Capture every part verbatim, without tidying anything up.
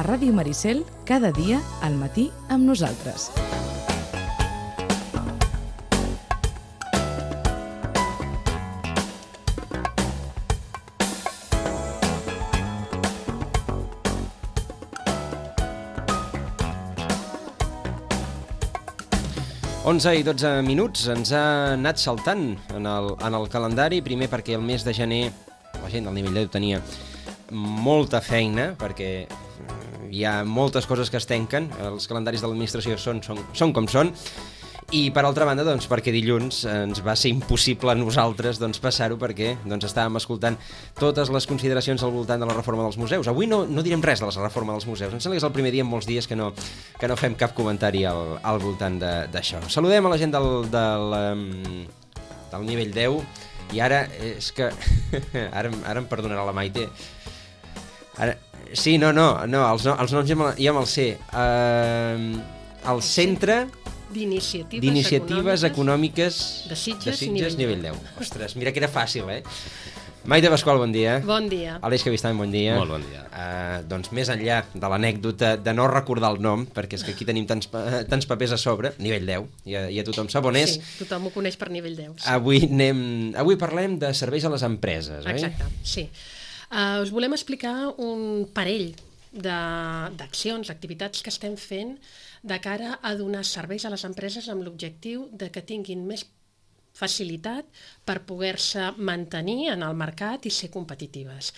Ràdio Maricel, cada dia al matí amb nosaltres. onze i dotze minuts, ens ha anat saltant en el, en el calendari, primer perquè el mes de gener la gent del nivell deu tenia molta feina, perquè hi ha moltes coses que es tanquen, els calendaris de l'administració són, són, són com són, i per altra banda, doncs, perquè dilluns ens va ser impossible a nosaltres doncs, passar-ho perquè doncs, estàvem escoltant totes les consideracions al voltant de la reforma dels museus. Avui no, no direm res de la reforma dels museus, em sembla que és el primer dia en molts dies que no, que no fem cap comentari al, al voltant d'això. Saludem a la gent del, del, del nivell deu i ara és que... ara, ara em perdonarà la Maite. Ara, sí, no, no, no els, no, els noms ja, ja me'ls sé. Uh, el centre... D'iniciatives, d'iniciatives econòmiques, econòmiques de Sitges, de Sitges nivell, nivell deu. Ostres, mira que era fàcil, eh? Maite Pasqual, bon dia. Bon dia. Aleix Cabistany, bon dia. Molt bon dia. Uh, doncs més enllà de l'anècdota de no recordar el nom, perquè és que aquí tenim tants, tants papers a sobre, nivell deu, ja, ja tothom sap on és. Sí, tothom ho coneix per nivell deu. Sí. Avui, anem, avui parlem de serveis a les empreses, oi? Exacte, sí. Uh, us volem explicar un parell d'accions, activitats que estem fent de cara a donar serveis a les empreses amb l'objectiu de que tinguin més facilitat per poder-se mantenir en el mercat i ser competitives.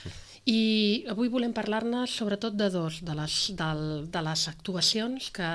I avui volem parlar-ne sobretot de dos, de les, de, de les actuacions que,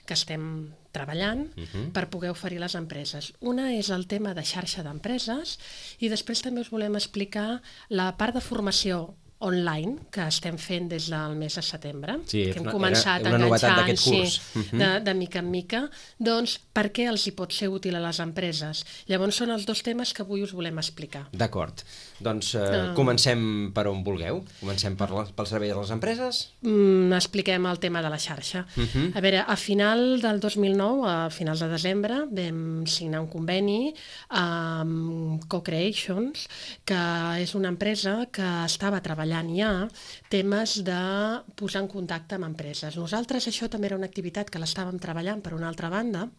que estem treballant uh-huh. per poder oferir a les empreses. Una és el tema de xarxa d'empreses i després també us volem explicar la part de formació online que estem fent des del mes de setembre, sí, que hem començat era, era una enganxant d'aquest curs. Sí, uh-huh. de, de mica en mica, doncs per què els hi pot ser útil a les empreses? Llavors són els dos temes que avui us volem explicar. D'acord. Doncs eh, uh... comencem per on vulgueu. Comencem per la, pel servei de les empreses? Mm, expliquem el tema de la xarxa. Uh-huh. A veure, a final del dos mil nou, a finals de desembre, vam signar un conveni amb Co-Creations, que és una empresa que estava treballant ja temes de posar en contacte amb empreses. Nosaltres això també era una activitat que l'estàvem treballant per una altra banda.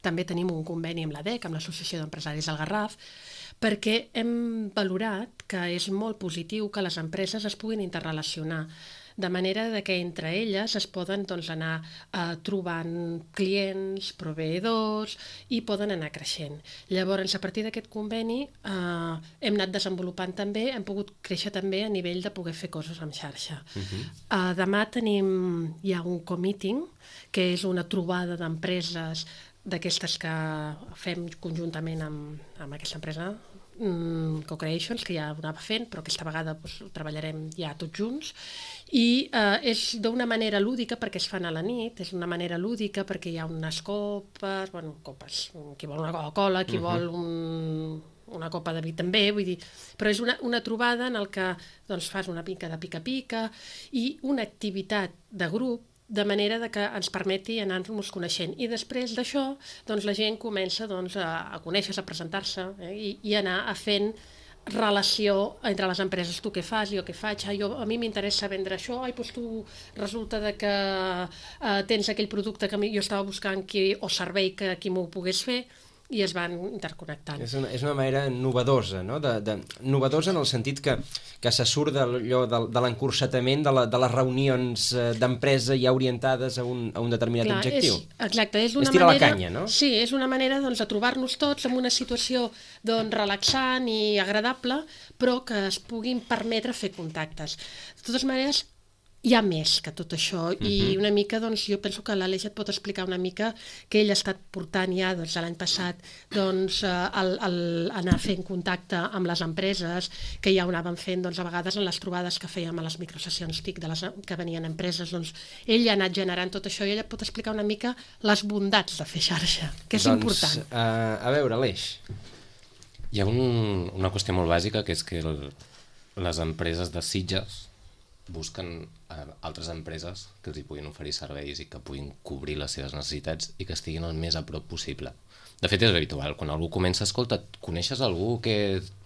També tenim un conveni amb l'A D E C, amb l'Associació d'Empresaris del Garraf, perquè hem valorat que és molt positiu que les empreses es puguin interrelacionar, de manera de que entre elles es poden doncs, anar eh, trobant clients, proveïdors i poden anar creixent. Llavors, a partir d'aquest conveni eh, hem anat desenvolupant també, hem pogut créixer també a nivell de poder fer coses amb xarxa. Uh-huh. eh, demà tenim ja un co-meeting, que és una trobada d'empreses d'aquestes que fem conjuntament amb, amb aquesta empresa, Co-Creations, que ja ho anava fent, però aquesta vegada doncs, ho treballarem ja tots junts, i eh, és d'una manera lúdica perquè es fan a la nit, és una manera lúdica perquè hi ha unes copes, bueno, copes, qui vol una Coca-Cola, qui uh-huh. vol un, una copa de vi també, vull dir, però és una, una trobada en el que doncs, fas una mica de pica-pica i una activitat de grup, de manera de que ens permeti anar-nos coneixent. I després d'això, doncs, la gent comença doncs, a, a conèixer-se, a presentar-se eh, i, i anar a fent relació entre les empreses. Tu què fas, jo què faig, ah, jo, a mi m'interessa vendre això, ai, doncs tu resulta de que eh, tens aquell producte que jo estava buscant qui, o servei que qui m'ho pogués fer, i es van interconnectant. És una, és una manera novedosa, no? De, de, novedosa en el sentit que, que se surt d'allò de, de l'encursetament de, la, de les reunions d'empresa ja orientades a un, a un determinat Clar, objectiu. És, exacte, és una és tirar manera, la canya, no? Sí, és una manera doncs, de trobar-nos tots en una situació doncs, relaxant i agradable, però que es puguin permetre fer contactes. De totes maneres, hi ha més que tot això i uh-huh. una mica, doncs, jo penso que l'Aleix et pot explicar una mica que ell ha estat portant ja doncs, l'any passat doncs, el, el, anar fent contacte amb les empreses, que ja ho anàvem fent doncs, a vegades en les trobades que fèiem a les microsessions T I C de les, que venien empreses, doncs, ell ha anat generant tot això i ell et pot explicar una mica les bondats de fer xarxa, que és doncs, important. Uh, a veure, Aleix. Hi ha un, una qüestió molt bàsica, que és que el, les empreses de Sitges busquen eh, altres empreses que els hi puguin oferir serveis i que puguin cobrir les seves necessitats i que estiguin el més a prop possible. De fet, és habitual. Quan algú comença, escolta, coneixes algú que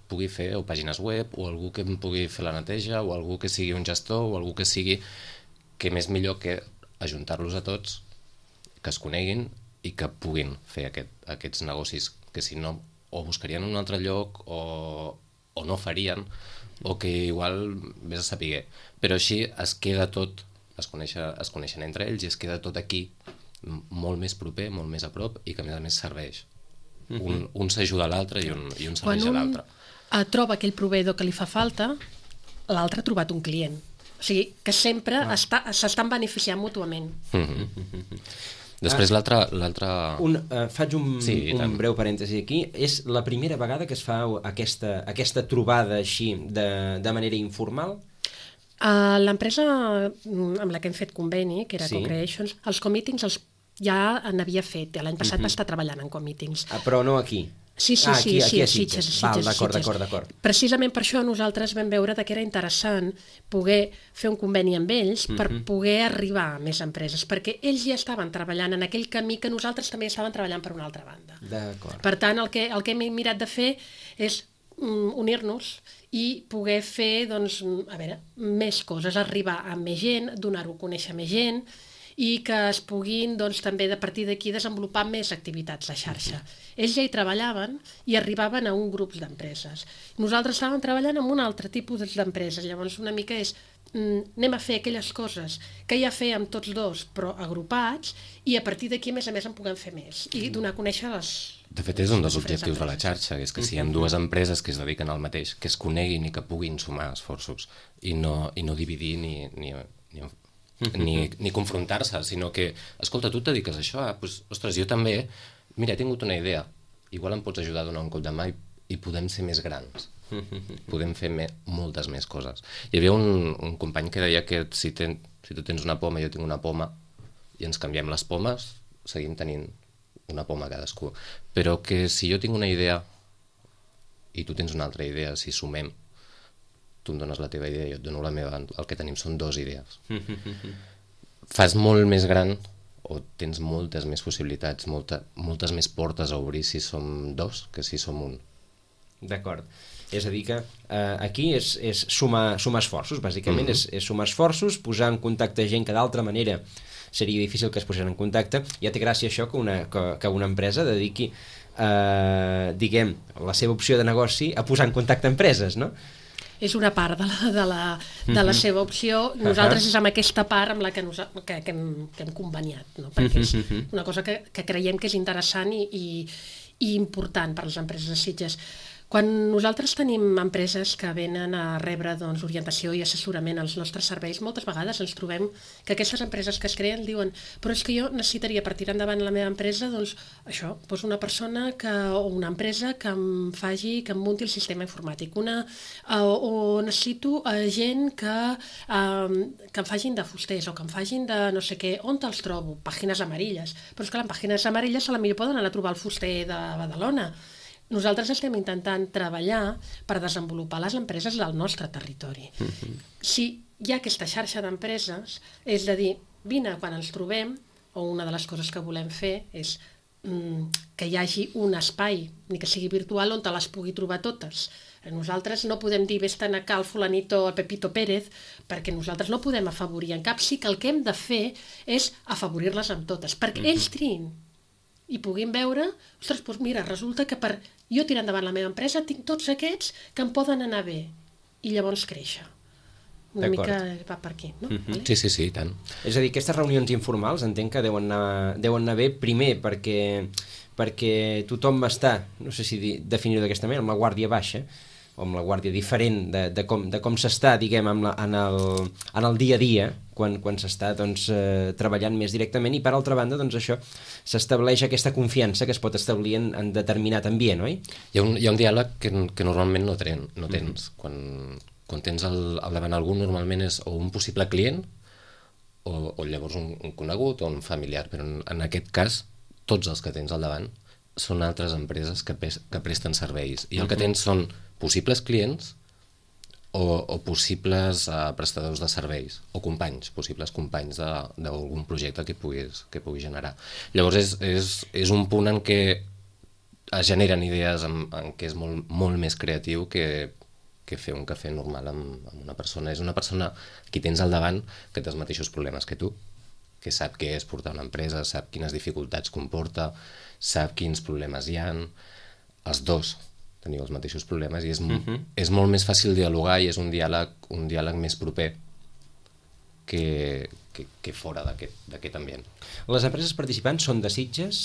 pugui fer o pàgines web o algú que em pugui fer la neteja o algú que sigui un gestor o algú que sigui... què més millor que ajuntar-los a tots, que es coneguin i que puguin fer aquest, aquests negocis, que si no o buscarien un altre lloc o, o no farien, o que igual vés a saber. Però així es queda tot, es, coneixen, es coneixen entre ells i es queda tot aquí molt més proper, molt més a prop i que a més a més serveix. Mm-hmm. Un, un s'ajuda a l'altre i un, i un serveix a l'altre. Quan un troba aquell proveïdor que li fa falta, l'altre ha trobat un client. O sigui, que sempre ah. està, s'estan beneficiant mútuament. Mm-hmm. Després ah, l'altre... Uh, faig un, sí, un breu parèntesi aquí. És la primera vegada que es fa aquesta, aquesta trobada així de, de manera informal? Uh, L'empresa amb la que hem fet conveni, que era sí. Co-Creations, els co-meetings els, ja n'havia fet. L'any passat uh-huh. va estar treballant en co-meetings. Ah, però no aquí? Sí, sí, ah, sí, aquí, aquí sí, Sitges, Sitges. Sitges, D'acord, d'acord, d'acord. Precisament per això nosaltres vam veure que era interessant poder fer un conveni amb ells per uh-huh. poder arribar a més empreses, perquè ells ja estaven treballant en aquell camí que nosaltres també estàvem treballant per una altra banda. D'acord. Per tant, el que, el que hem mirat de fer és um, unir-nos i poder fer, doncs, a veure, més coses, arribar a més gent, donar-ho a conèixer a més gent, i que es puguin doncs, també de partir d'aquí desenvolupar més activitats a xarxa. Ells ja hi treballaven i arribaven a un grup d'empreses. Nosaltres estàvem treballant amb un altre tipus d'empreses, llavors una mica és mm, anem a fer aquelles coses que ja fèiem tots dos, però agrupats, i a partir d'aquí, a més a més, en puguem fer més i donar a conèixer les... De fet, és un dels objectius de la xarxa, és que si hi ha dues empreses que es dediquen al mateix, que es coneguin i que puguin sumar esforços i no, i no dividir ni... ni, ni Ni, ni confrontar-se, sinó que escolta, tu et dediques a això, ah, doncs, ostres, jo també, mira, he tingut una idea, igual em pots ajudar a donar un cop de mà i, i podem ser més grans, podem fer me, moltes més coses. Hi havia un, un company que deia que si, ten, si tu tens una poma i jo tinc una poma i ens canviem les pomes, seguim tenint una poma cadascú, però que si jo tinc una idea i tu tens una altra idea, si sumem, tu em dones la teva idea i jo et dono la meva, el que tenim són dues idees. Fas molt més gran o tens moltes més possibilitats, molta, moltes més portes a obrir si som dos que si som un. D'acord. És a dir que eh, aquí és, és sumar, sumar esforços, bàsicament, mm-hmm. és, és sumar esforços, posar en contacte gent que d'altra manera seria difícil que es posessin en contacte. Ja té gràcia això que una, que, que una empresa dediqui eh, diguem, la seva opció de negoci a posar en contacte empreses, no? És una part de la, de la, de la seva opció. Nosaltres és amb aquesta part amb la que, nos, que, que, hem, que hem conveniat, no? Perquè és una cosa que, que creiem que és interessant i, i, i important per a les empreses de Sitges. Quan nosaltres tenim empreses que venen a rebre doncs, orientació i assessorament als nostres serveis, moltes vegades ens trobem que aquestes empreses que es creen diuen però és que jo necessitaria per tirar endavant la meva empresa doncs això, doncs una persona que, o una empresa que em faci, que em munti el sistema informàtic, una, o, o necessito uh, gent que, uh, que em facin de fusters o que em facin de no sé què, on te'ls trobo? Pàgines amarilles. Però és que les pàgines amarilles a la millor poden anar a trobar el fuster de Badalona. Nosaltres estem intentant treballar per desenvolupar les empreses del nostre territori. Mm-hmm. Si hi ha aquesta xarxa d'empreses, és de dir, vine quan ens trobem, o una de les coses que volem fer és mm, que hi hagi un espai, ni que sigui virtual, on te les pugui trobar totes. Nosaltres no podem dir vés-te'n a cal fulanito o Pepito Pérez, perquè nosaltres no podem afavorir en cap. Sí que el que hem de fer és afavorir-les amb totes, perquè mm-hmm. ells triïn i puguin veure, ostres, doncs mira, resulta que per jo tirar endavant la meva empresa tinc tots aquests que em poden anar bé i llavors créixer. Una mica va per aquí, no? Mm-hmm. Sí, sí, sí, i tant. És a dir, aquestes reunions informals entenc que deuen anar, deuen anar bé primer perquè, perquè tothom està, no sé si definir-ho d'aquesta manera, amb la guàrdia baixa, o amb la guàrdia diferent de, de com, de com s'està, diguem, en, la, en, el, en el dia a dia, quan, quan s'està doncs, eh, treballant més directament, i per altra banda, doncs això, s'estableix aquesta confiança que es pot establir en, en determinat ambient, oi? Hi ha un, hi ha un diàleg que, que normalment no, tren, no tens. Mm-hmm. Quan, quan tens al, al davant algú, normalment és o un possible client, o, o llavors un, un conegut o un familiar, però en, en aquest cas, tots els que tens al davant són altres empreses que, pes, que presten serveis, i el mm-hmm. que tens són possibles clients o, o possibles uh, prestadors de serveis o companys, possibles companys d'algun projecte que puguis, que pugui generar. Llavors és, és, és un punt en què es generen idees en, en què és molt, molt més creatiu que, que fer un cafè normal amb, amb una persona. És una persona que tens al davant que té els mateixos problemes que tu, que sap què és portar una empresa, sap quines dificultats comporta, sap quins problemes hi ha. Els dos teniu els mateixos problemes i és, uh-huh. és molt més fàcil dialogar i és un diàleg, un diàleg més proper que, que, que fora d'aquest ambient. Les empreses participants són de Sitges?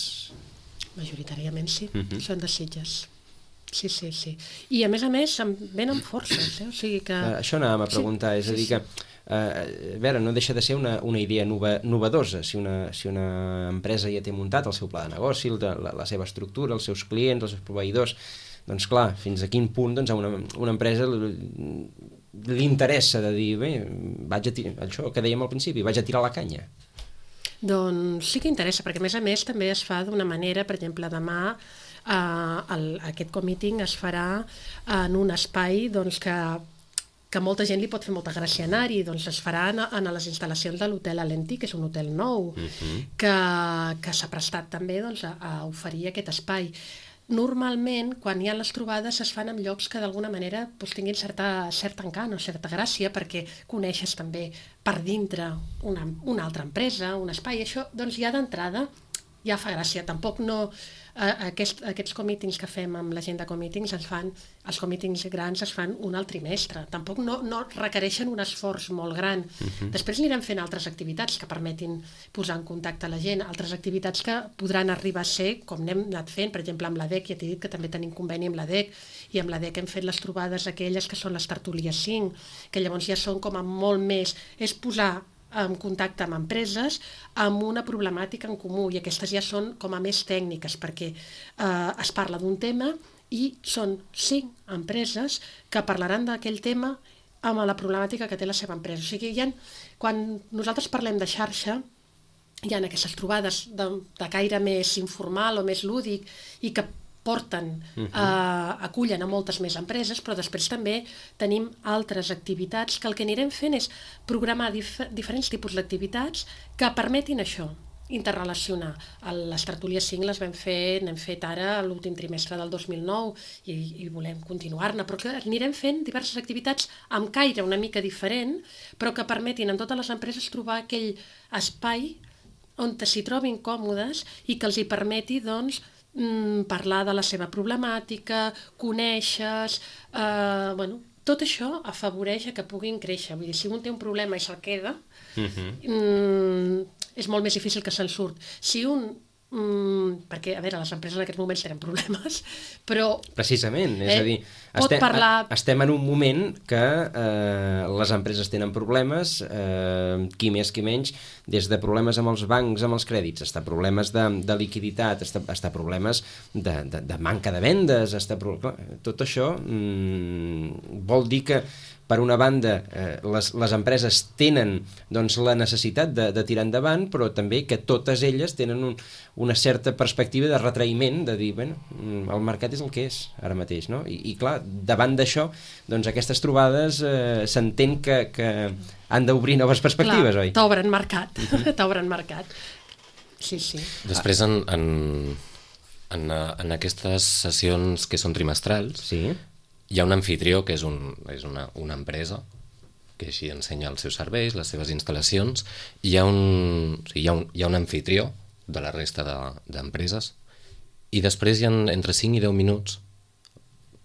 Majoritàriament sí, uh-huh. són de Sitges. Sí, sí, sí. I a més a més venen forces, eh? O sigui que... Uh, això anàvem a preguntar, sí, és a dir sí, que uh, a veure, no deixa de ser una, una idea nova, novedosa. Si una, si una empresa ja té muntat el seu pla de negoci, la, la seva estructura, els seus clients, els seus proveïdors, doncs clar, fins a quin punt doncs, a una, una empresa li interessa de dir, bé, vaig a tirar, això que dèiem al principi, vaig a tirar la canya. Doncs sí que interessa, perquè a més a més també es fa d'una manera, per exemple, demà eh, el, aquest comeeting es farà en un espai doncs, que, que molta gent li pot fer molta gràcia anar-hi, doncs es farà en, en les instal·lacions de l'hotel Alentí, que és un hotel nou, uh-huh. que, que s'ha prestat també doncs, a, a oferir aquest espai. Normalment, quan hi ha les trobades, es fan en llocs que d'alguna manera doncs, tinguin certa, cert encant o certa gràcia, perquè coneixes també per dintre una, una altra empresa, un espai. Això doncs, ja d'entrada ja fa gràcia. Tampoc no... Eh, aquest, aquests comítings que fem amb la gent de comítings es fan, els comítings grans es fan un al trimestre. Tampoc no, no requereixen un esforç molt gran. Uh-huh. Després anirem fent altres activitats que permetin posar en contacte la gent, altres activitats que podran arribar a ser, com n'hem anat fent, per exemple amb l'A D E C, ja t'he dit que també tenim conveni amb l'A D E C, i amb l'A D E C hem fet les trobades aquelles que són les tertúlies cinc, que llavors ja són com a molt més, és posar en contacte amb empreses amb una problemàtica en comú, i aquestes ja són com a més tècniques, perquè eh, es parla d'un tema i són cinc empreses que parlaran d'aquell tema amb la problemàtica que té la seva empresa. O sigui, hi ha, quan nosaltres parlem de xarxa, hi ha aquestes trobades de, de caire més informal o més lúdic i que porten, uh-huh. eh, acullen a moltes més empreses, però després també tenim altres activitats que el que anirem fent és programar dif- diferents tipus d'activitats que permetin això, interrelacionar. Les tertúlies cinc les vam fer, n'hem fet ara l'últim trimestre del dos mil nou i, i volem continuar-ne, però que anirem fent diverses activitats amb caire una mica diferent, però que permetin en totes les empreses trobar aquell espai on s'hi trobin còmodes i que els hi permeti, doncs, parlar de la seva problemàtica, conèixer, eh, bueno, tot això afavoreix a que puguin créixer. Vull dir, si un té un problema i se'l queda, uh-huh. mm, és molt més difícil que se'n surt. Si un Mm, perquè, a veure, les empreses en aquests moments tenen problemes, però... Precisament, és eh, a dir, estem, parlar... estem en un moment que eh, les empreses tenen problemes, eh, qui més qui menys, des de problemes amb els bancs, amb els crèdits, fins a problemes de, de liquiditat, fins a problemes de, de, de manca de vendes, fins a... Tot això mm, vol dir que per una banda, eh, les, les empreses tenen doncs, la necessitat de, de tirar endavant, però també que totes elles tenen un, una certa perspectiva de retraïment, de dir, bueno, el mercat és el que és ara mateix, no? I, i clar, davant d'això, doncs aquestes trobades eh, s'entén que, que han d'obrir noves perspectives, clar, oi? T'obren mercat, t'obren mercat. Sí, sí. Després, en, en, en, en aquestes sessions que són trimestrals, sí. Hi ha un anfitrió, que és, un, és una, una empresa, que així ensenya els seus serveis, les seves instal·lacions, i hi ha un, o sigui, hi ha un, hi ha un anfitrió de la resta d'empreses, i després hi ha entre cinc i deu minuts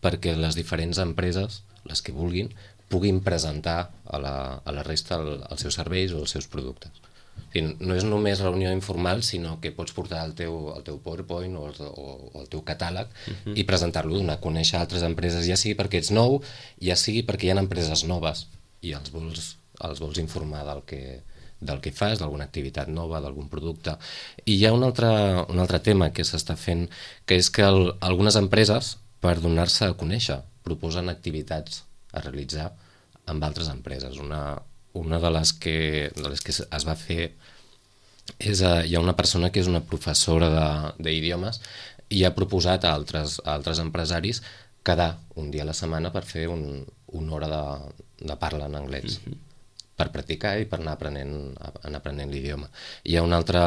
perquè les diferents empreses, les que vulguin, puguin presentar a la, a la resta el, els seus serveis o els seus productes. O sigui, no és només reunió informal, sinó que pots portar el teu, el teu PowerPoint o el, o, o el teu catàleg uh-huh. i presentar-lo, donar a conèixer altres empreses, ja sigui perquè ets nou, ja sigui perquè hi ha empreses noves i els vols, els vols informar del que, del que fas, d'alguna activitat nova, d'algun producte. I hi ha un altre, un altre tema que s'està fent, que és que el, algunes empreses, per donar-se a conèixer, proposen activitats a realitzar amb altres empreses. Una, una de les que, de les que es va fer és, uh, hi ha una persona que és una professora d'idiomes i ha proposat a altres, a altres empresaris quedar un dia a la setmana per fer un, una hora de, de parla en anglès, mm-hmm. per practicar i per anar aprenent, anar aprenent l'idioma. Hi ha una altra,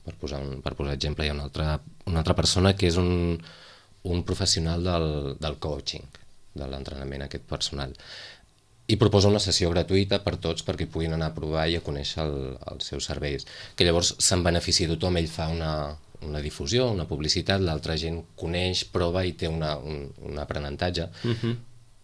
per posar, un, per posar exemple, hi ha una altra, una altra persona que és un, un professional del, del coaching, de l'entrenament a aquest personal. I proposa una sessió gratuïta per tots perquè puguin anar a provar i a conèixer el, els seus serveis. Que llavors se'n beneficia tothom, ell fa una, una difusió, una publicitat, l'altra gent coneix, prova i té una, un, un aprenentatge. Uh-huh.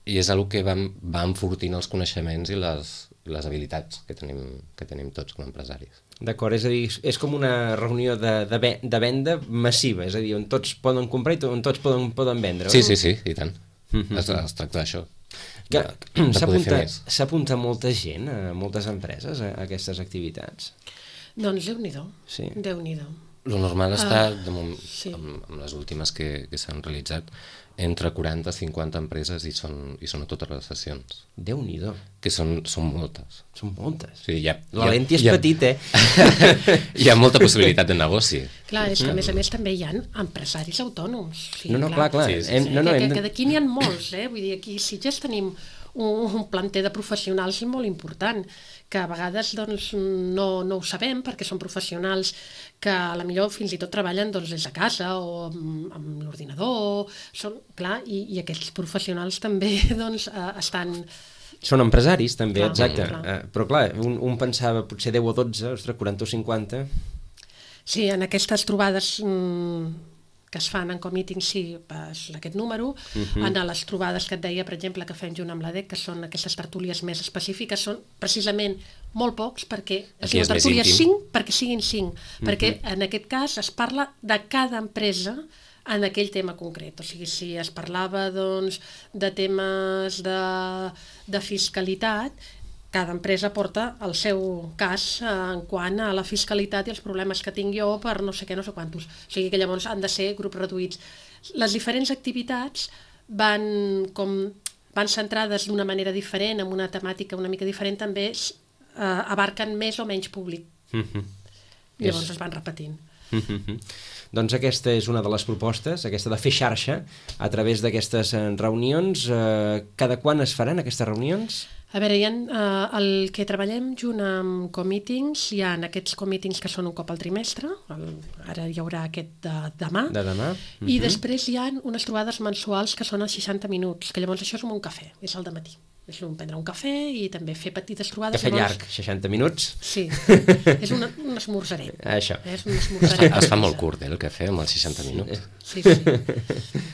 I és una que va, va enfortint els coneixements i les, les habilitats que tenim, que tenim tots com a empresaris. D'acord, és a dir, és com una reunió de, de, ve, de venda massiva, és a dir, on tots poden comprar i on tots poden, poden vendre. Sí, sí, sí, i tant. Uh-huh. es, es tracta d'això. S'apunta molta gent, a moltes empreses, a aquestes activitats? Doncs Déu-n'hi-do, sí. Déu-n'hi-do. Lo normal està, uh, de moment, sí. amb, amb les últimes que, que s'han realitzat, entre quaranta a cinquanta empreses i són, i són a totes les sessions. Déu-n'hi-do. Que són, són moltes. Són moltes. Sí, hi ha, L'Alenti és hi ha, petit, eh? Hi ha molta possibilitat de negoci. Clar, és que a més a més també hi ha empresaris autònoms. Sí, no, no, clar, clar. Sí, sí, sí. Hem, no, no, que, hem... que d'aquí n'hi ha molts, eh? Vull dir, aquí a Sitges tenim un, un planter de professionals molt important, que a vegades doncs, no, no ho sabem perquè són professionals que a la millor fins i tot treballen doncs, des de casa o amb, amb l'ordinador, són, clar, i, i aquests professionals també doncs, eh, estan... Són empresaris també, clar, exacte, clar. Uh, però clar, un, un pensava potser deu o dotze, ostres, quaranta o cinquanta... Sí, en aquestes trobades... Mmm, que es fan en commeeting, sí, és aquest número. Uh-huh. En les trobades que et deia, per exemple, que fem junt amb l'A D E C, que són aquestes tertúlies més específiques, són precisament molt pocs, perquè es diu tertúlies cinc, perquè siguin cinc, uh-huh. perquè en aquest cas es parla de cada empresa en aquell tema concret. O sigui, si es parlava doncs, de temes de, de fiscalitat, cada empresa porta el seu cas eh, en quant a la fiscalitat i els problemes que tinc jo per no sé què, no sé quantos. O sigui que llavors han de ser grups reduïts. Les diferents activitats van, com, van centrades d'una manera diferent, amb una temàtica una mica diferent, també eh, abarquen més o menys públic. Mm-hmm. Llavors es, es van repetint. Mm-hmm. Doncs aquesta és una de les propostes, aquesta de fer xarxa a través d'aquestes reunions. Eh, cada quan es faran aquestes reunions? A veure, hi ha, eh, el que treballem junt amb commeetings, hi ha aquests commeetings que són un cop al trimestre, el, ara hi haurà aquest de demà, de demà. Uh-huh. I després hi ha unes trobades mensuals que són els seixanta minuts, que llavors això és com un cafè, és al dematí. És un prendre un cafè i també fer petites trobades. Cafè llavors... llarg, seixanta minuts. Sí, és una, un esmorzaret. Això. És un esmorzaret. Es fa molt curt, eh, el cafè, amb els seixanta minuts. Sí, sí.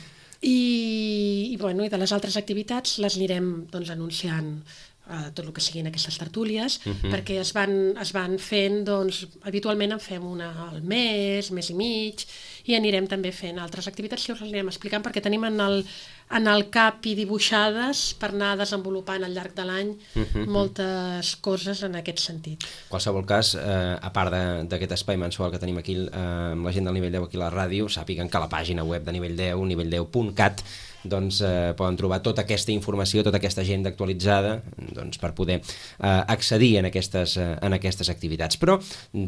I, i, bueno, i de les altres activitats les anirem doncs, anunciant uh, tot el que siguin aquestes tertúlies, uh-huh. perquè es van, es van fent, doncs, habitualment en fem una al mes, mes i mig, i anirem també fent altres activitats que us les anirem explicant perquè tenim en el, en el cap i dibuixades per anar desenvolupant al llarg de l'any uh-huh. moltes coses en aquest sentit. En qualsevol cas, eh, a part d'aquest espai mensual que tenim aquí eh, amb la gent del Nivell deu aquí a la ràdio, sàpiguen que a la pàgina web de Nivell deu, nivell deu punt cat, doncs eh, poden trobar tota aquesta informació, tota aquesta agenda actualitzada doncs, per poder eh, accedir en aquestes, eh, en aquestes activitats. Però,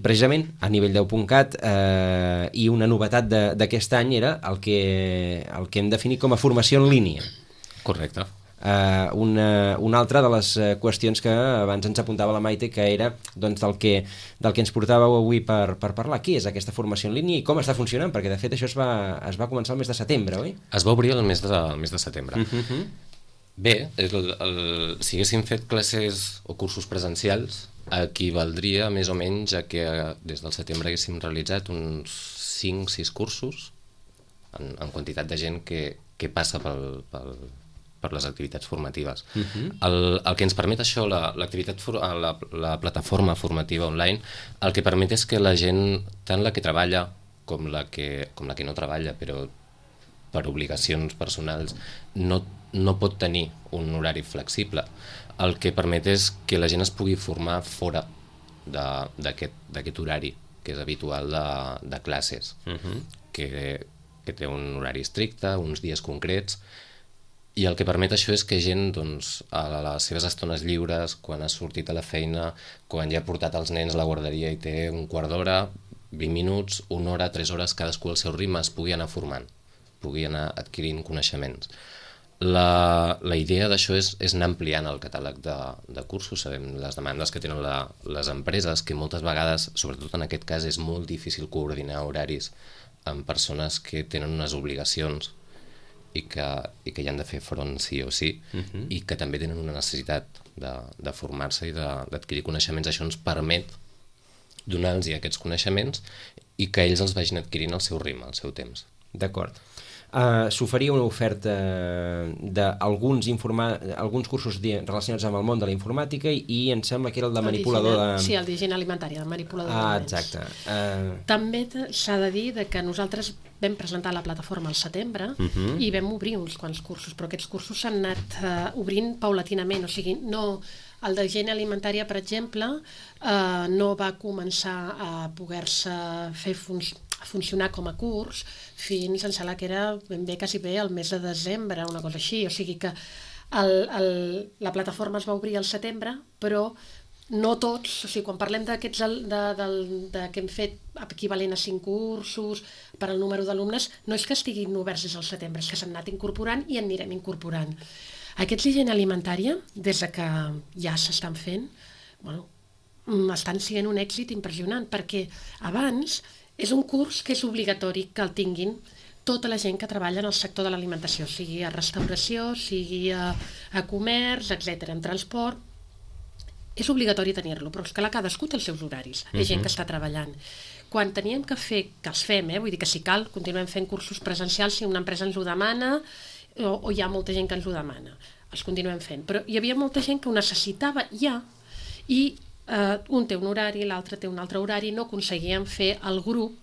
precisament, a nivell deu punt cat eh, i una novetat d'aquest any era el que, el que hem definit com a formació en línia. Correcte. Uh, una, una altra de les qüestions que abans ens apuntava la Maite, que era doncs, del, que, del que ens portàveu avui per, per parlar. Què és aquesta formació en línia i com està funcionant? Perquè de fet això es va, es va començar el mes de setembre, oi? Es va obrir el mes de, el mes de setembre. Uh-huh. Bé, el, el, si haguéssim fet classes o cursos presencials, equivaldria més o menys a que des del setembre haguéssim realitzat uns cinc sis cursos en, en quantitat de gent que, que passa pel, pel per les activitats formatives. Uh-huh. el, el que ens permet això, la, l'activitat for, la, la plataforma formativa online, el que permet és que la gent, tant la que treballa com la que, com la que no treballa, però per obligacions personals, no, no pot tenir un horari flexible. El que permet és que la gent es pugui formar fora d'aquest horari, que és habitual de, de classes, uh-huh. que, que té un horari estricte, uns dies concrets, i el que permet això és que gent, doncs, a les seves estones lliures, quan ha sortit a la feina, quan ja ha portat els nens a la guarderia i té un quart d'hora, vint minuts, una hora, tres hores, cadascú al seu ritme, es pugui anar formant, pugui anar adquirint coneixements. La, la idea d'això és, és anar ampliant el catàleg de, de cursos. Sabem les demandes que tenen la, les empreses, que moltes vegades, sobretot en aquest cas, és molt difícil coordinar horaris amb persones que tenen unes obligacions i que, i que hi han de fer front sí o sí, uh-huh. i que també tenen una necessitat de, de formar-se i d'adquirir coneixements. Això ens permet donar-los aquests coneixements i que ells els vagin adquirint al seu ritme, al seu temps. D'acord. Uh, S'oferia una oferta d'alguns informa... alguns cursos relacionats amb el món de la informàtica i, i em sembla que era el de manipulador de... Sí, el d'higiene alimentària, el manipulador ah, d'aliments. Exacte. Uh... També s'ha de dir de que nosaltres vam presentar la plataforma al setembre uh-huh. i vam obrir uns quants cursos, però aquests cursos s'han anat uh, obrint paulatinament, o sigui, no... El d'higiene alimentària, per exemple, eh, no va començar a poder-se fer fun a funcionar com a curs fins, em sembla que era ben bé, quasi bé, el mes de desembre, una cosa així. O sigui que el, el, la plataforma es va obrir al setembre, però no tots, o sigui, quan parlem d'aquests de, de, de, que hem fet equivalent a cinc cursos per al número d'alumnes, no és que estiguin oberts des del setembre, és que s'han anat incorporant i en anirem incorporant. Aquests d'higiene alimentària, des de que ja s'estan fent, bueno, estan sent un èxit impressionant, perquè abans és un curs que és obligatori que el tinguin tota la gent que treballa en el sector de l'alimentació, sigui a restauració, sigui a, a comerç, etcètera, en transport. És obligatori tenir-lo, però és que cadascú té els seus horaris, hi ha gent que està treballant. Quan teníem que fer, que els fem, eh? Vull dir que si cal, continuem fent cursos presencials si una empresa ens ho demana, o, o hi ha molta gent que ens ho demana, els continuem fent, però hi havia molta gent que ho necessitava ja i eh, un té un horari, l'altre té un altre horari, no aconseguien fer el grup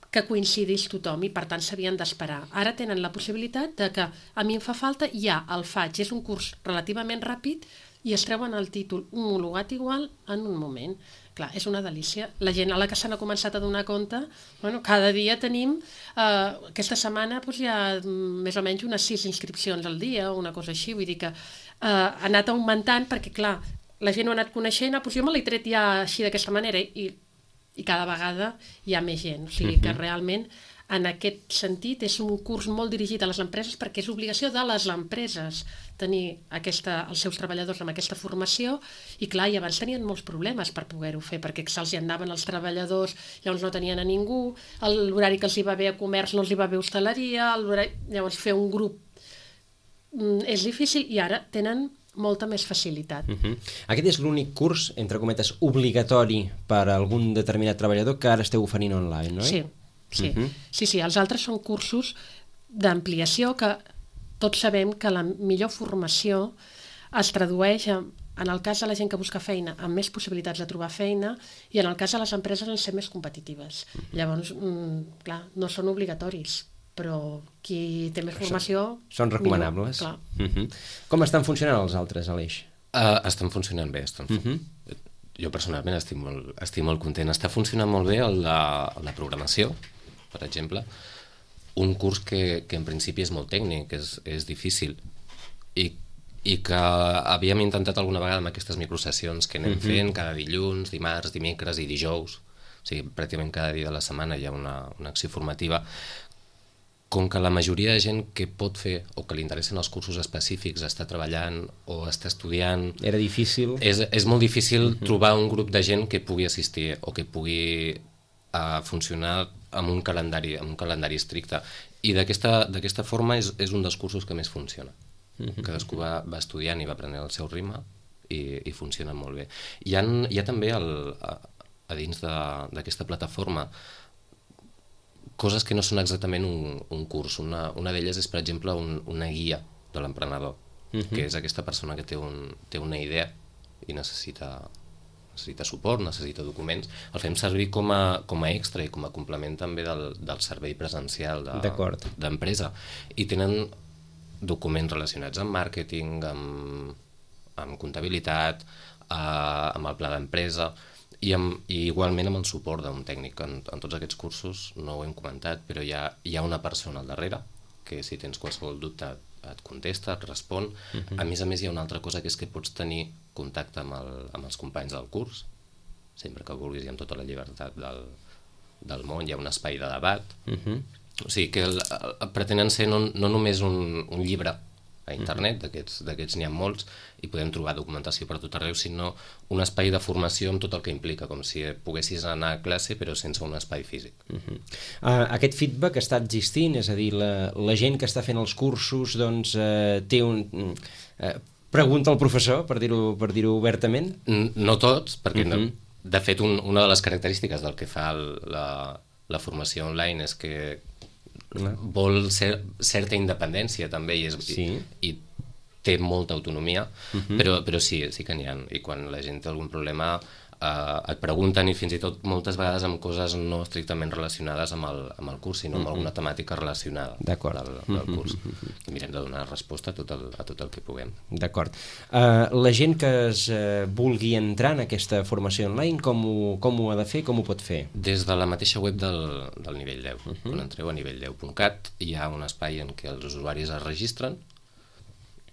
que coincidís tothom i per tant s'havien d'esperar. Ara tenen la possibilitat de que a mi em fa falta, ja el faig, és un curs relativament ràpid i es treuen el títol homologat igual en un moment. Clar, és una delícia. La gent a la que s'han començat a donar compte, bueno, cada dia tenim, eh, aquesta setmana doncs, hi ha més o menys unes sis inscripcions al dia o una cosa així, vull dir que eh, ha anat augmentant perquè, clar, la gent ho ha anat coneixent, ah, doncs jo me l'he tret ja així d'aquesta manera i, i cada vegada hi ha més gent. O sigui que realment en aquest sentit és un curs molt dirigit a les empreses perquè és obligació de les empreses tenir aquesta, els seus treballadors amb aquesta formació i clar, i abans tenien molts problemes per poder-ho fer perquè se'ls hi anaven els treballadors, llavors no tenien a ningú, l'horari que els hi va bé a comerç no els hi va bé a hostaleria, llavors fer un grup mm, és difícil i ara tenen molta més facilitat. Uh-huh. Aquest és l'únic curs, entre cometes, obligatori per a algun determinat treballador que ara esteu oferint online, no? Sí, sí. Uh-huh. sí, sí. Els altres són cursos d'ampliació que tots sabem que la millor formació es tradueix en, en el cas de la gent que busca feina amb més possibilitats de trobar feina i en el cas de les empreses en ser més competitives. Uh-huh. Llavors, mm, clar, no són obligatoris, però qui té més formació... Són, són recomanables. Millor, uh-huh. Com estan funcionant els altres, Aleix? Uh, estan funcionant bé. Estan fun... uh-huh. Jo personalment estic molt, estic molt content. Està funcionant molt bé el de, el de programació, per exemple. Un curs que, que en principi és molt tècnic, és, és difícil, i, i que havíem intentat alguna vegada amb aquestes microsessions que anem uh-huh. fent cada dilluns, dimarts, dimecres i dijous, o sigui, pràcticament cada dia de la setmana hi ha una, una acció formativa. Com que la majoria de gent que pot fer o que li interessen els cursos específics està treballant o està estudiant... Era difícil. És, és molt difícil uh-huh. trobar un grup de gent que pugui assistir o que pugui uh, funcionar amb un calendari, amb un calendari estricte. I d'aquesta forma és, és un dels cursos que més funciona. Uh-huh. Cadascú va, va estudiant i va aprenent el seu ritme i, i funciona molt bé. Hi ha, hi ha també el, a, a dins d'aquesta plataforma coses que no són exactament un, un curs. Una, una d'elles és, per exemple, un, una guia de l'emprenedor, uh-huh. que és aquesta persona que té, un, té una idea i necessita, necessita suport, necessita documents. El fem servir com a, com a extra i com a complement també del, del servei presencial d'empresa. I tenen documents relacionats amb màrqueting, amb, amb comptabilitat, eh, amb el pla d'empresa... I, amb, i igualment amb el suport d'un tècnic. En, en tots aquests cursos, no ho hem comentat, però hi ha, hi ha una persona al darrere que si tens qualsevol dubte et contesta, et respon. Uh-huh. A més a més hi ha una altra cosa que és que pots tenir contacte amb, el, amb els companys del curs, sempre que vulguis i amb tota la llibertat del, del món, hi ha un espai de debat. Uh-huh. O sigui que el, el, pretenen ser no, no només un, un llibre a internet, d'aquests d'aquests n'hi ha molts, i podem trobar documentació per tot arreu, sinó un espai de formació amb tot el que implica, com si poguessis anar a classe però sense un espai físic. Uh-huh. uh, aquest feedback està existint, és a dir, la, la gent que està fent els cursos doncs, uh, té un... Uh, pregunta al professor, per dir-ho per dir-ho obertament? No tots, perquè uh-huh. no, de fet un, una de les característiques del que fa el, la, la formació online és que uh-huh. vol ser, certa independència també i, és, sí. i, i té molta autonomia, uh-huh. però, però sí, sí que n'hi ha, i quan la gent té algun problema Uh, et pregunten, i fins i tot moltes vegades amb coses no estrictament relacionades amb el, amb el curs, sinó amb mm-hmm. alguna temàtica relacionada del, del curs. Mm-hmm. I mirem de donar resposta a tot el, a tot el que puguem. D'acord. Uh, la gent que es uh, vulgui entrar en aquesta formació online, com ho, com ho ha de fer, com ho pot fer? Des de la mateixa web del, del nivell deu. Mm-hmm. Quan entreu a nivell deu punt cat hi ha un espai en què els usuaris es registren.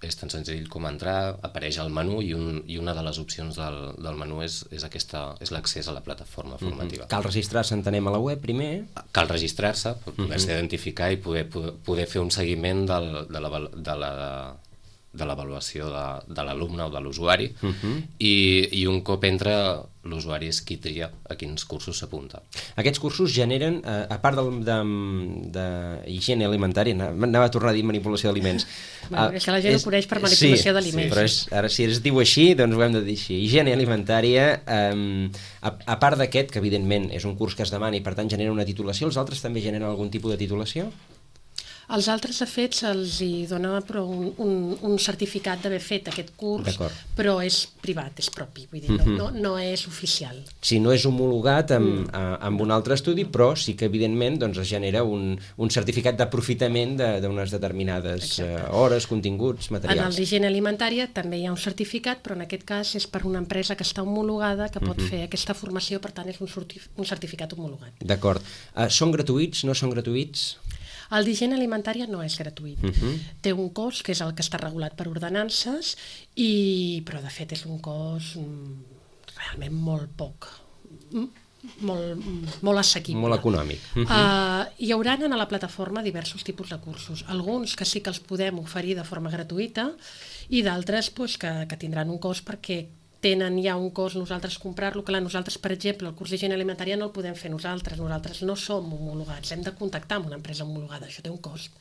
És tan senzill com entrar, apareix el menú i, un, i una de les opcions del, del menú és, és, aquesta, és l'accés a la plataforma formativa. Mm-hmm. Cal registrar-se, entenem, a la web primer? Cal registrar-se per poder-se mm-hmm. identificar i poder, poder, poder fer un seguiment del, de la, de la, de l'avaluació de, de l'alumne o de l'usuari uh-huh. i, i un cop entra l'usuari és qui tria a quins cursos s'apunta. Aquests cursos generen, eh, a part d'higiene alimentària, anava a tornar a dir manipulació d'aliments. Bueno, és que la gent és, ho coneix per manipulació sí, d'aliments. Sí, però és, ara si es diu així, doncs ho hem de dir així. Higiene alimentària, eh, a, a part d'aquest, que evidentment és un curs que es demana i per tant genera una titulació, els altres també generen algun tipus de titulació? Els altres, de fet, se'ls dona un, un, un certificat d'haver fet aquest curs, però és privat, és propi, vull dir, mm-hmm. no, no és oficial. Sí, no és homologat amb, mm. amb un altre estudi, però sí que, evidentment, doncs, es genera un, un certificat d'aprofitament d'unes determinades uh, hores, continguts, materials. En el d'higiene alimentària també hi ha un certificat, però en aquest cas és per una empresa que està homologada, que pot mm-hmm. fer aquesta formació, per tant és un, un certificat homologat. D'acord. Uh, són gratuïts, no són gratuïts? El d'higiene alimentària no és gratuït. Uh-huh. Té un cost, que és el que està regulat per ordenances, i... però de fet és un cost realment molt poc, molt, molt assequible. Molt econòmic. Uh-huh. Uh, hi haurà a la plataforma diversos tipus de cursos. Alguns que sí que els podem oferir de forma gratuïta i d'altres pues, que, que tindran un cost perquè tenen ja un cost nosaltres comprar-lo, que nosaltres, per exemple, el curs d'higiene alimentària no el podem fer nosaltres, nosaltres no som homologats, hem de contactar amb una empresa homologada, això té un cost,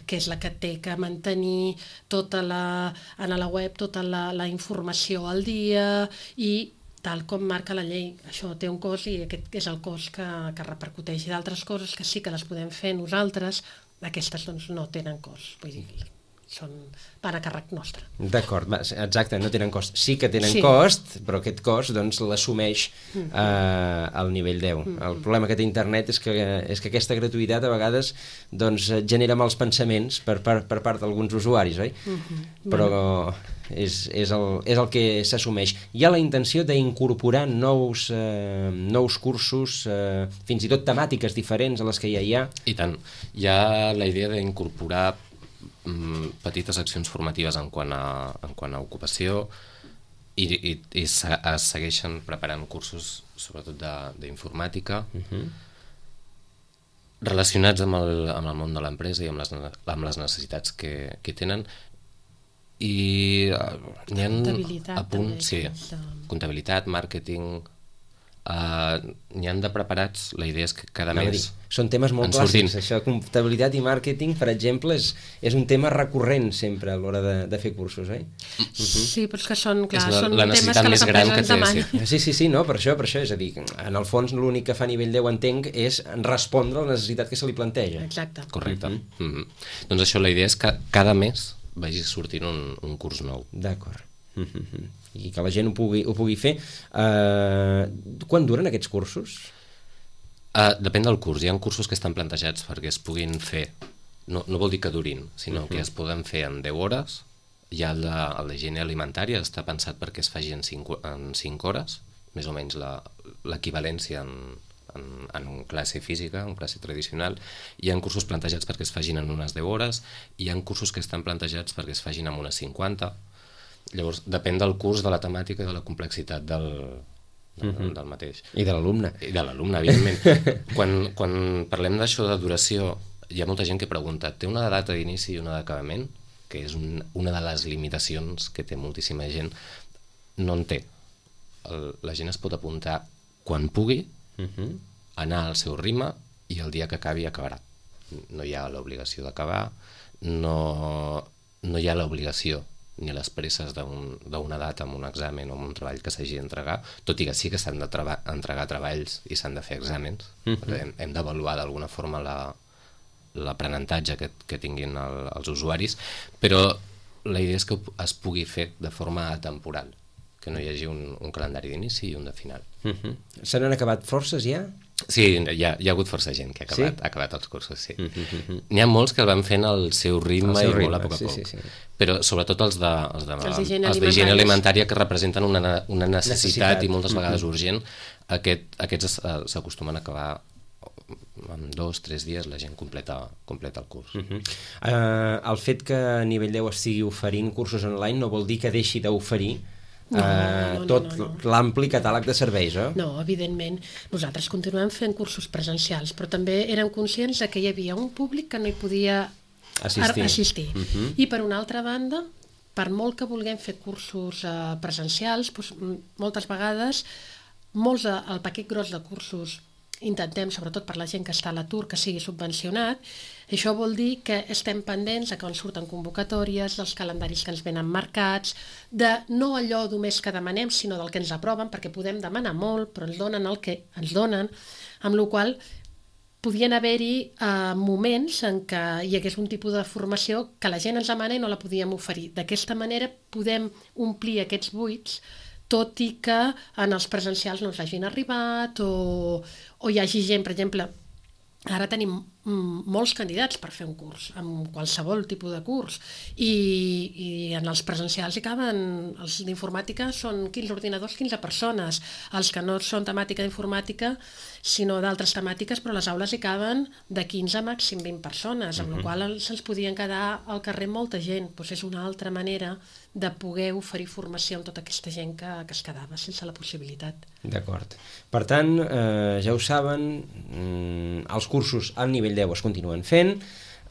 que és la que té que mantenir tota la, en la web tota la, la informació al dia i tal com marca la llei, això té un cost i aquest és el cost que, que repercuteix. I d'altres coses que sí que les podem fer nosaltres, aquestes doncs no tenen cost, vull dir, són, van a càrrec nostre. D'acord, exacte, no tenen cost. Sí que tenen sí. cost, però aquest cost doncs, l'assumeix mm. eh, al nivell deu. Mm. El problema que té internet és que, és que aquesta gratuïtat a vegades doncs, genera mals pensaments per, per, per part d'alguns usuaris, oi? Mm-hmm. Però bueno. és, és, el, és el que s'assumeix. Hi ha la intenció d'incorporar nous, eh, nous cursos, eh, fins i tot temàtiques diferents a les que ja hi ha? I tant. Hi ha la idea d'incorporar petites accions formatives en quant a, en quant a ocupació i, i, i se, es segueixen preparant cursos sobretot d'informàtica uh-huh. relacionats amb el, amb el món de l'empresa i amb les, amb les necessitats que, que tenen i n'hi ha a punt, sí, comptabilitat, màrqueting. Uh, n'hi han de preparats, la idea és que cada no, mes dir, són temes molt clàssics, això, comptabilitat i màrqueting, per exemple, és, és un tema recurrent sempre a l'hora de, de fer cursos, eh? Uh-huh. Sí, però és que són, clar, la, són la temes que les empreses ens demanen. Sí, sí, sí, no, per això, per això, és a dir, en el fons l'únic que fa a nivell deu, entenc, és respondre a la necessitat que se li planteja. Exacte. Correcte. Uh-huh. Uh-huh. Doncs això, la idea és que cada mes vagi sortint un, un curs nou. D'acord. Uh-huh. I que la gent ho pugui, ho pugui fer. Uh, quan duren aquests cursos? Uh, depèn del curs. Hi ha cursos que estan plantejats perquè es puguin fer, no, no vol dir que durin, sinó uh-huh. que es poden fer en deu hores. Hi ha el de, el de higiene alimentària, està pensat perquè es faci en cinc, en cinc hores, més o menys l'equivalència en, en, en classe física, en classe tradicional. Hi ha cursos plantejats perquè es facin en unes deu hores, hi ha cursos que estan plantejats perquè es facin en unes cinquanta. Llavors, depèn del curs, de la temàtica i de la complexitat del, del, uh-huh. del mateix. I de l'alumne. I de l'alumne, evidentment. quan, quan parlem d'això de duració, hi ha molta gent que pregunta, té una data d'inici i una d'acabament? que és un, una de les limitacions que té moltíssima gent, no en té. El, la gent es pot apuntar quan pugui, uh-huh. anar al seu ritme i el dia que acabi acabarà. No hi ha l'obligació d'acabar, no, no hi ha l'obligació ni les presses d'una data amb un examen o amb un treball que s'hagi d'entregar, tot i que sí que s'han de treba entregar treballs i s'han de fer exàmens. Uh-huh. hem, hem d'avaluar d'alguna forma l'aprenentatge que, que tinguin el, els usuaris, però la idea és que es pugui fer de forma atemporal, que no hi hagi un, un calendari d'inici i un de final. Uh-huh. Se n'han acabat forces ja? Sí, hi ha, hi ha hagut força gent que ha acabat, sí? ha acabat els cursos, sí. Uh-huh. N'hi ha molts que el van fent al seu ritme, seu ritme i molt a poc a poc. Sí, sí, sí. Però sobretot els de, els de, els d'higiene alimentària, que representen una, una necessitat, necessitat i moltes vegades uh-huh. urgent, aquest, aquests s'acostumen a acabar en dos, tres dies la gent completa, completa el curs. Uh-huh. uh, el fet que a nivell deu estigui oferint cursos online no vol dir que deixi d'oferir No, uh, no, tot no, no, no. l'ampli catàleg de serveis, eh? No, evidentment. Nosaltres continuem fent cursos presencials, però també érem conscients que hi havia un públic que no hi podia assistir. assistir. Uh-huh. I per una altra banda, per molt que vulguem fer cursos uh, presencials, doncs, moltes vegades, molts de, el paquet gros de cursos intentem, sobretot per la gent que està a l'atur, que sigui subvencionat. Això vol dir que estem pendents de quan surten convocatòries, dels calendaris que ens venen marcats, de no allò només que demanem, sinó del que ens aproven, perquè podem demanar molt, però ens donen el que ens donen, amb la qual cosa podien haver-hi eh, moments en què hi hagués un tipus de formació que la gent ens demana i no la podíem oferir. D'aquesta manera podem omplir aquests buits, tot i que en els presencials no ens hagin arribat o, o hi hagi gent, per exemple, ara tenim molts candidats per fer un curs, amb qualsevol tipus de curs, i, i en els presencials hi caben, els d'informàtica són quinze ordinadors, quinze persones, els que no són temàtica d'informàtica, sinó d'altres temàtiques, però les aules hi caben de quinze a màxim vint persones, amb uh-huh. la qual cosa se'ns podien quedar al carrer molta gent. Doncs és una altra manera de poder oferir formació a tota aquesta gent que, que es quedava sense la possibilitat. D'acord. Per tant, eh, ja ho saben, mm, els cursos al nivell deu es continuen fent,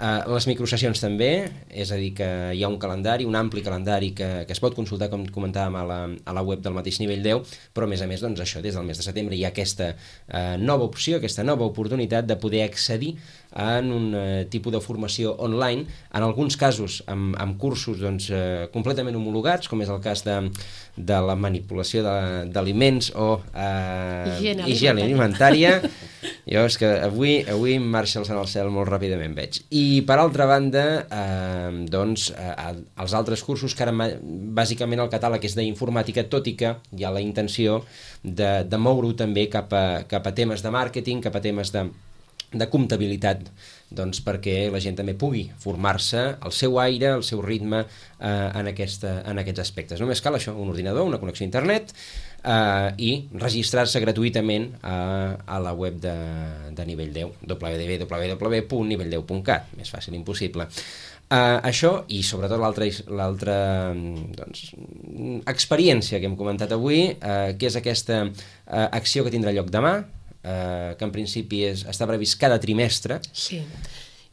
eh, les microsessions també, és a dir, que hi ha un calendari, un ampli calendari que, que es pot consultar, com comentàvem, a la, a la web del mateix nivell deu, però a més a més, doncs això, des del mes de setembre hi ha aquesta eh, nova opció, aquesta nova oportunitat de poder accedir en un eh, tipus de formació online, en alguns casos amb, amb cursos doncs, eh, completament homologats, com és el cas de, de la manipulació d'aliments o eh, higiene, higiene alimentària. Jo és que avui, avui em marxa el sant al cel molt ràpidament, veig. I per altra banda, eh, doncs, eh, els altres cursos que ara bàsicament el catàleg és d'informàtica, tot i que hi ha la intenció de, de moure-ho també cap a, cap a temes de màrqueting, cap a temes de de comptabilitat, doncs perquè la gent també pugui formar-se al seu aire, al seu ritme eh, en, aquesta, en aquests aspectes. Només cal això, un ordinador, una connexió a internet eh, i registrar-se gratuïtament a, a la web de, de nivell deu, w w w punt nivell deu punt cat, més fàcil impossible. Uh, això i sobretot l'altra doncs, experiència que hem comentat avui, uh, que és aquesta uh, acció que tindrà lloc demà, Uh, que en principi és, està previst cada trimestre. Sí.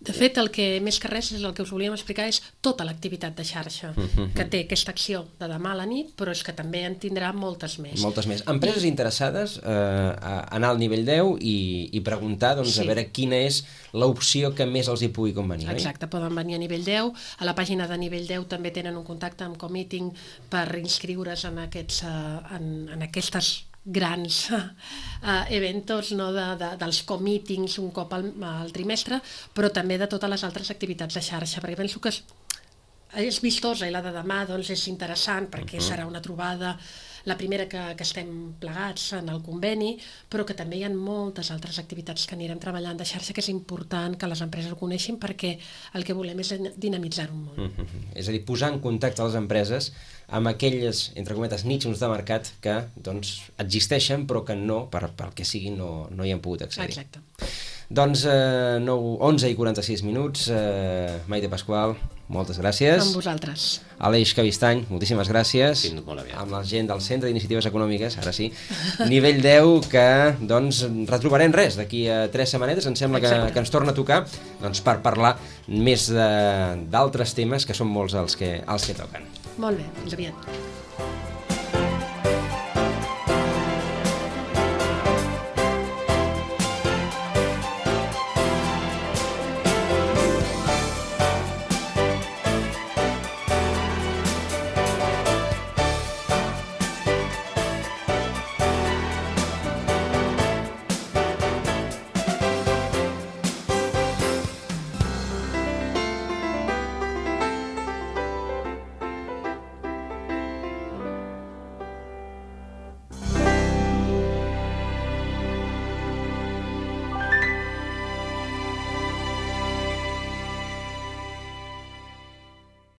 De fet, el que més que res és el que us volíem explicar és tota l'activitat de xarxa uh-huh. que té aquesta acció de demà a la nit, però és que també en tindrà moltes més. Moltes més. Empreses I... interessades uh, a anar al nivell deu i, i preguntar doncs, sí. a veure quina és l'opció que més els hi pugui convenir. Exacte, oi? Poden venir a nivell deu. A la pàgina de nivell deu també tenen un contacte amb Comeeting per inscriure's en, aquests, uh, en, en aquestes grans uh, eventos, no, de, de, dels comeetings un cop al, al trimestre, però també de totes les altres activitats de xarxa, perquè penso que és, és vistosa i la de demà doncs, és interessant perquè uh-huh. serà una trobada, la primera que, que estem plegats en el conveni, però que també hi ha moltes altres activitats que anirem treballant de xarxa, que és important que les empreses ho coneixin perquè el que volem és dinamitzar un món. Uh-huh. És a dir, posar en contacte les empreses amb aquelles, entre cometes, nitxos de mercat que doncs, existeixen però que no, per, pel que sigui, no, no hi han pogut accedir. Exacte. Doncs eh, nou, onze i quaranta-sis minuts, eh, Maite Pasqual, moltes gràcies. Amb vosaltres. Aleix Cabistany, moltíssimes gràcies. Fins molt aviat. Amb la gent del Centre d'Iniciatives Econòmiques, ara sí. Nivell deu, que doncs retrobarem res d'aquí a tres setmanetes, em sembla que, que ens torna a tocar doncs, per parlar més d'altres temes que són molts els que, els que toquen. Molt bé, fins aviat.